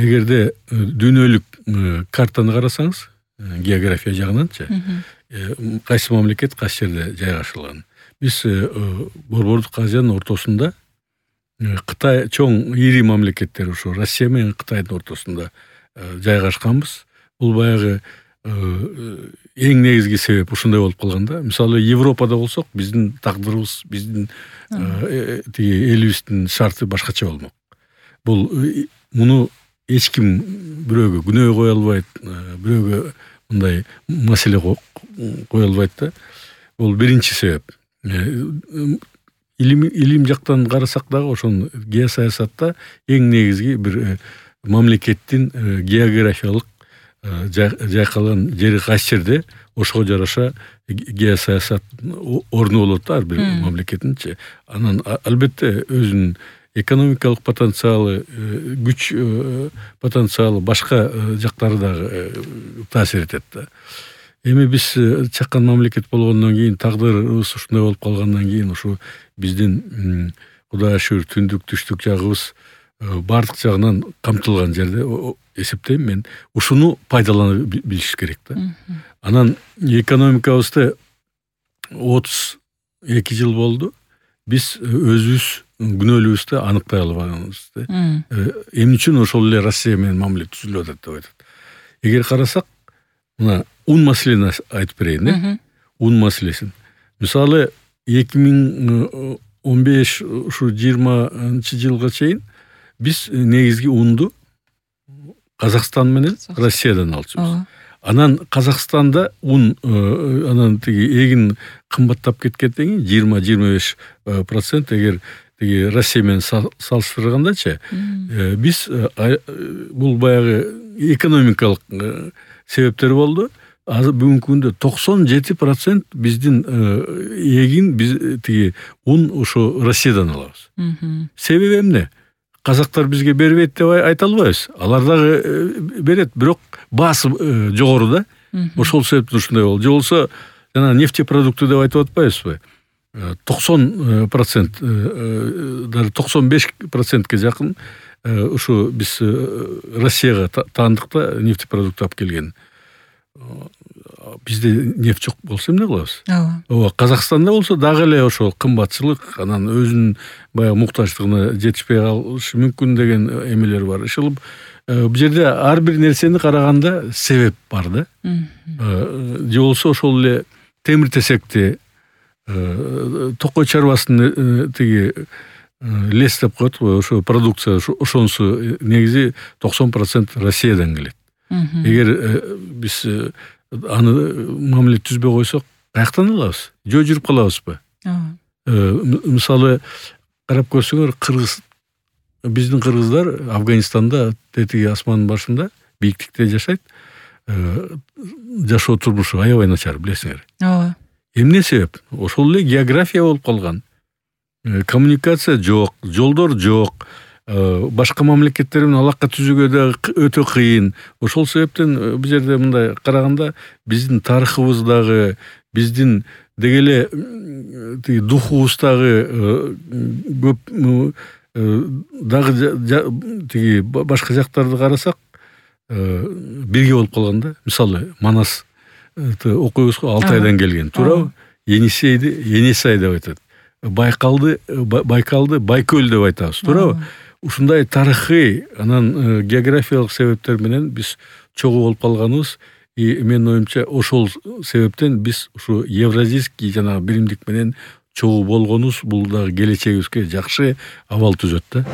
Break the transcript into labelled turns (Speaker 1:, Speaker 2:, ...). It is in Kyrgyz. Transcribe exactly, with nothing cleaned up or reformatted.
Speaker 1: эгерде дүйнөлүк картаны карасаңыз, география жагынанчы, кайсы мамлекет кайсы жерде жайгашылган. Биз Борбордук Азиянын ортосунда, Кытай чоң ири мамлекеттер ушу Россия менен Кытайдын ортосунда жайгашканбыз. Бул баягы эң негизги себеп ушундай болуп калганда. Мисалы Европада болсок, биздин тагдырыбыз, биздин тиги элибиздин шарты башкача болмок. Бул муну эч ким бирөөгө күнөө кое албайт, бирөөгө мындай маселе кое албайт да. Бул биринчи себеп. Илим илим жактан карасак дагы ошон геосаясатта эң негизги бир мамлекеттин географиялык жайкалган жери кайсы жерде ошого жараша геосаясат орну болот да ар бир мамлекеттинчи. Анан албетте өзүнүн экономикалык потенциалы, күч потенциалы, башка жактары дагы таасир этет да. Эми биз чакан мамлекет болгондон кийин, тагдырыбыз ушундай болуп калгандан кийин, ушу биздин Кудайга шүгүр түндүк түштүк жагыбыз бардык жагынан камтылган жерде эсептейм мен. Ушуну пайдалана билиш керек да. Анан экономикабызды отуз эки жыл болду. Биз өзүбүз күнөөлүүбүздү аныктай албаганыбызды. Эмне үчүн ошол эле Россия менен мамиле түзүлүп атат деп айтат. Эгер карасак, мына ун маселени айтып берейин, э? Ун маселесин. Мисалы эки миң он беш ушу жыйырманчы жылга чейин биз негизги унду Казакстан менен Россиядан алчубуз. Анан Казакстанда ун анан тиги эгин кымбаттап кеткенден кийин жыйырма жыйырма беш процент эгер тиги Россия менен салыштыргандачы, биз бул баягы экономикалык себептер болду. Азыр бүгүнкү күндө токсон жети процент биздин эгин биз тиги ун ошо Россиядан алабыз. Себеби эмне? Казактар бизге бербейт деп айта албайбыз. Алар дагы берет, бирок баасы жогору да. Ошол себептен ушундай болду. Же болсо жана нефтепродукты деп айтып атпайбызбы? токсон процент, даже токсон беш процентке жакын ушу биз Россияга таандык да нефтепродукт алып келген. Бизде нефть жок болсо эмне кылабыз? Ооба, Казакстанда болсо дагы эле ошол кымбатчылык, анан өзүнүн баягы муктаждыгына жетишпей калышы мүмкүн деген эмелер бар. Ошол бул жерде ар бир нерсени караганда себеп бар да. Же болсо ошол эле темир-тесекти, токой чарбасын тиги лес деп коет го, ошо продукция, ошонусу негизи токсон процент Россиядан келет. Эгер биз аны мамиле түзбөй койсок, каяктан алабыз? Жөө жүрүп калабызбы? Мисалы карап көрсөңөр, кыргыз биздин кыргыздар Афганистанда тетиги асмандын башында бийиктикте жашайт. Жашоо турмушу аябай начар, билесиңер. Ооба. Эмне себеп? Ошол эле география болуп калган. Коммуникация жок, жолдор жок. Башка мамлекеттер менен алака түзүүгө да өтө кыйын. Ошол себептен бул жерде мындай караганда биздин тарыхыбыз дагы, биздин деги эле тиги духубуз дагы көп дагы тиги башка жактарды карасак бирге болуп калган да. Мисалы Манас окуйбуз го, Алтайдан келген, туурабы? Енисейди Енисай деп айтат. Байкалды Байкалды Байкөл деп айтабыз, туурабы? Ушундай тарыхый, анан географиялык себептер менен биз чогуу болуп калганыбыз, и менин оюмча ошол себептен биз ушу евразийский жана биримдик менен чогуу болгонубуз бул дагы келечегибизге жакшы абал түзөт да.